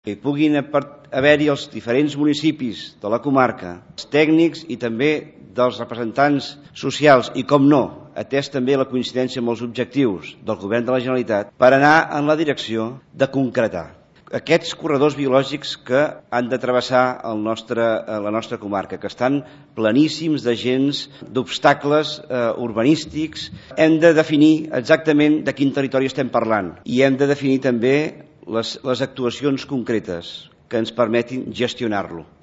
que puguin haver-hi els diferents municipis de la comarca, els tècnics i també dels representants socials i, com no, atès també la coincidència amb els objectius del Govern de la Generalitat, per anar en la direcció de concretar aquests corredors biològics que han de travessar la nostra comarca, que estan pleníssims de gens, d'obstacles urbanístics. Hem de definir exactament de quin territori estem parlant i hem de definir també les actuacions concretes que ens permetin gestionar-lo.